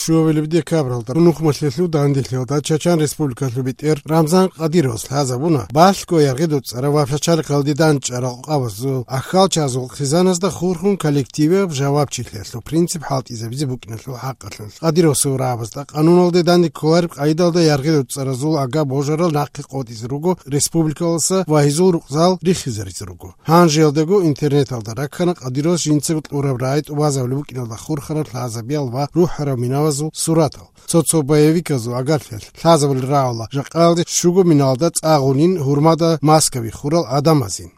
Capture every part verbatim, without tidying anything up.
Щуабилеб декабралда нухмалъелъул данделъиялда Чачан Республикалъул бетӀер Рамзан Кадыровас лъазабуна балъго яргъи доцӀарав ва пачалихъалде дандчӀварал къабазул аххалчазул хъизаназда хурхун коллективияб жавабчилъиялъул принцип хӀалтӀизабизе букӀиналъул хӀакъалъулъ. Кадыровасул рагӀабазда къануналде данде кколареб къайдалда яргъи доцӀаразул ага божарал нахъе къотӀизе руго республикалдаса ва гьезул рукъзал рихизаризе руго. Гьанжеялдаго интернеталда раккана Кадыровас жинцаго кьураб рагӀи тӀубазабулеб букӀиналда хурхараб лъазабиял ва рухӀараб минавазул суратал. Цо-цо боевиказул агарлъиялъ лъазабулел рагӀула жакъаялде щуго миналда цӀа гъунин, гьурмада маска биххурал гӀадамазин.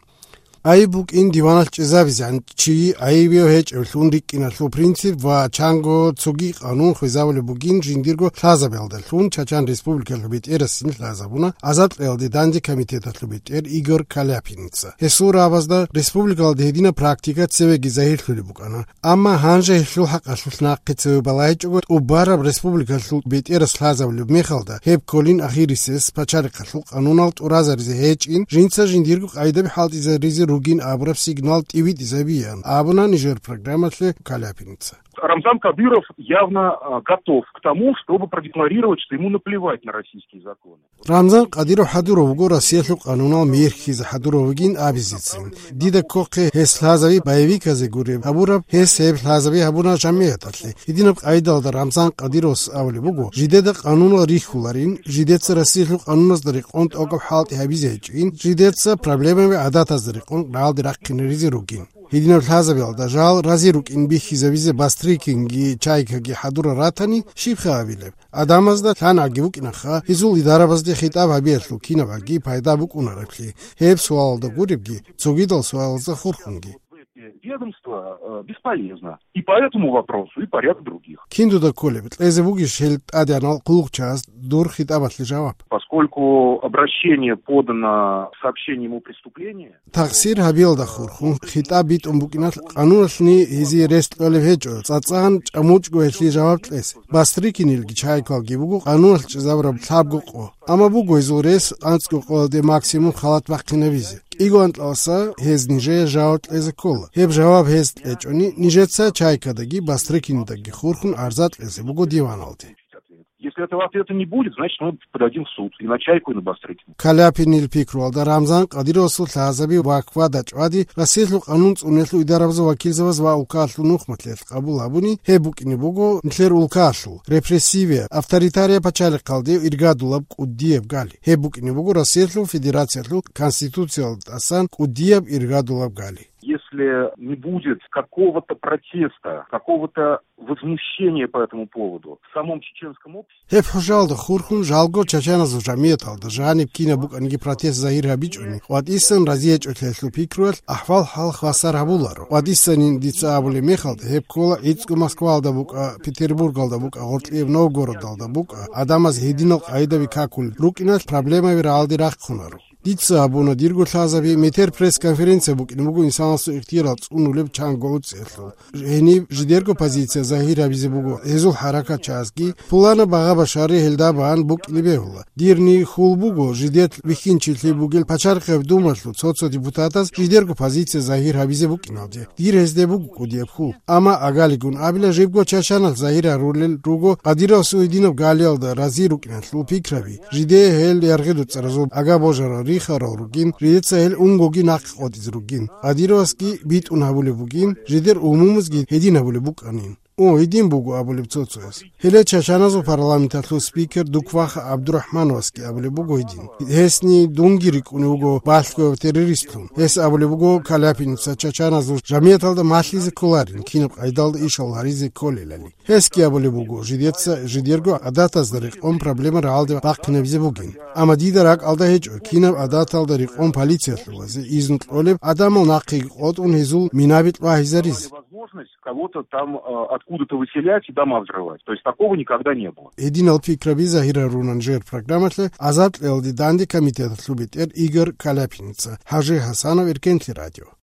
Айиб букӀин диваналъ чӀезабизегӀан чи айибияв гьечӀеблъун рикӀкӀиналъул принцип ва чанго цоги къанун хвезабулеб бугин жиндирго лъазабиялдалъун Чачан Республикалъул бетӀерасин лъазабуна азадкьеялде данде комитеталъул бетӀер Игорь Каляпиница. Гьесул рагӀабазда республикалда гьединаб практика цевеги загьирлъулеб букӀана. Амма гьанже гьелъул хӀакъалъулъ нахъе цеве балагьичӀого, тӀубараб республикалъул бетӀерас лъазабулеб мехалда, гьеб кколин ахирисез пачалихъалъул къанунал тӀуразаризе гьечӀин, жинца жиндирго къайдаби хӀалтӀизаризе ругин абураб сигнал тӀивитӀизабиян, абуна нижер программалъе Каляпиница. Рамзан Кадыров явно, а, готов к тому, чтобы продекларировать, что ему наплевать на российские законы. Рамзан Кадыров хӀадурав вуго Россиялъул къанунал михьизе хӀадурав вугин абизецин. Дида ккохъе гьес лъазаби боевиказе гуреб гьабураб, гьес гьеб лъазаби гьабуна жамигӀаталъе. Гьединаб къайдалда Рамзан Кадыровас абулеб буго, жидеда къанунал рихьуларин, жидеца Россиялъул къануназда рекъон тӀокӀаб хӀалтӀи гьабизе гьечӀин, жидеца проблемаби гӀадатазда рекъон рагӀалде рахъинаризе ругин. Гьединаб лъазабиялда жал рази рукӀин бихьизабизе Бастрыкинги Чайкаги хӀадурал ратани, щибха абилеб? ГӀадамазда лъан гӀаги букӀинаха, гьезул идарабазде хитӀаб гьабиялъул кинаб гӀаги пайда букӀунареблъи, гьеб суалалда гуребги, цогидал суалазда хурхунги. Ведомство, э, бесполезно. И по этому вопросу, и по ряду других. Киндуда кколеб, кьезе бугищ гьел тӀадегӀанал хъулухъчагьаз дур хитӀабалъе жаваб? Поскольку обращение подано с сообщением о преступлении, Тахсир гьабиялда хурхун хитӀаб битӀун букӀиналъ, къануналъни гьезие рес кьолеб гьечӀо, цӀацӀан чӀамучӀго гьелъие жаваб кьес. Бастрыкинилги Чайкалги буго къануналъ чӀезабураб лъабго къо. Амма буго гьезул рес анцӀго къоялде максимум халат бахъинабизе. КӀиго анкьаласа гьез нижее жаваб кьезе ккола. Гьеб жаваб гьез кьечӀони, нижеца Чайкадаги Бастрыкинидаги хурхун арза кьезе буго диваналде. Если этого ответа не будет, значит, мы подадим в суд и на Чайку, и на Бастрыкина. Каляпинил пикруялда Рамзан Кадыровасул лъазаби ва квада-чӀвади Россиялъул къанун цӀуниялъул идарабазул вакилзабаз ва улкаялъул нухмалъиялъ къабул гьабуни, гьеб букӀине буго нилъер улкаялъул репрессивия, авторитария пачалихъалде иргадулаб кӀудияб гали. Гьеб букӀине буго Россиялъул Федерациялъул Конституциялда тӀасан кӀудияб иргадулаб гали. Если не будет какого-то протеста, какого-то возмущения по этому поводу в самом чеченском обществе, Гьеб хӀужалда хурхун жалго чачаназул жамияталда жаниб кинаб букӀаниги протест загьир гьабичӀони, къватӀисан разиячӀолъиялъул пикруялъ ахӀвал-хӀал хвасар гьабуларо. КъватӀисанин дица абулеб мехалда, гьеб ккола гӀицӀго Москвалда букӀа, Петербургалда букӀа, гъоркьияб Новгородалда букӀа, гӀадамаз гьединал къайдаби какулел рукӀиналъ проблемаби рагӀалде рахъунаро. Дица абуна, дирго лъазаби метер пресс-конференция букӀине буго инсанасул ихтиярал цӀунулеб чанго уцӀиялъул. Гьениб жидерго позиция загьир гьабизе буго гьезул хӀаракатчагӀазги, пуланаб багъа-башари гьелда бан букӀине бегьула. Дирни хьул буго жидер бихьинчилъи бугел пачарихъеб думалъул цо-цо депутатаз жидерго позиция загьир гьабизе букӀиналде. Дир гьезде буго кӀудияб хьул. Амма агалигун абила, жибго чачаналъ загьир гьарулел руго Кадыровасул гьединаб галиялда рази рукӀиналъул пикраби. Жидее гьел яргъи-дуцӀаразул ага божарал рихарал ругин, жидеца гьел унгоги нахъе къотӀизе ругин. Кадыровасги битӀун гьабулеб бугин, жидер умумузги гьедин гьабулеб букӀанин. О, гьедин буго абулеб цо-цояс. Гьеле чачаназул парламенталъул спикер Дукваха ГӀабдурахӀмановасги абулеб буго гьедин. Гьесни дунги рикӀкӀунев вуго балъгояв террористлъун. Гьес абулеб буго Каляпиница чачаназул жамияталда малъизе кколарин, кинаб къайдалда ишал гьаризе кколелали. Гьесги абулеб буго, жидеца жидерго гӀадатазда рекъон проблема рагӀалде бахъинабизе бугин. Амма дида ракӀалда гьечӀо, кинаб гӀадаталда рекъон полициялъулазе изну кьолеб гӀадамал нахъеги къотӀун гьезул минаби кьвагьизаризе. Возможность кого-то там, э, откуда-то выселять и дома взрывать. То есть такого никогда не было. Гьединал пикраби загьир гьарунан жер программалъе азадкьялде данде комитеталъул бетӀер Игорь Каляпиница, ХӀажи ХӀасанов, Эркенлъи радио.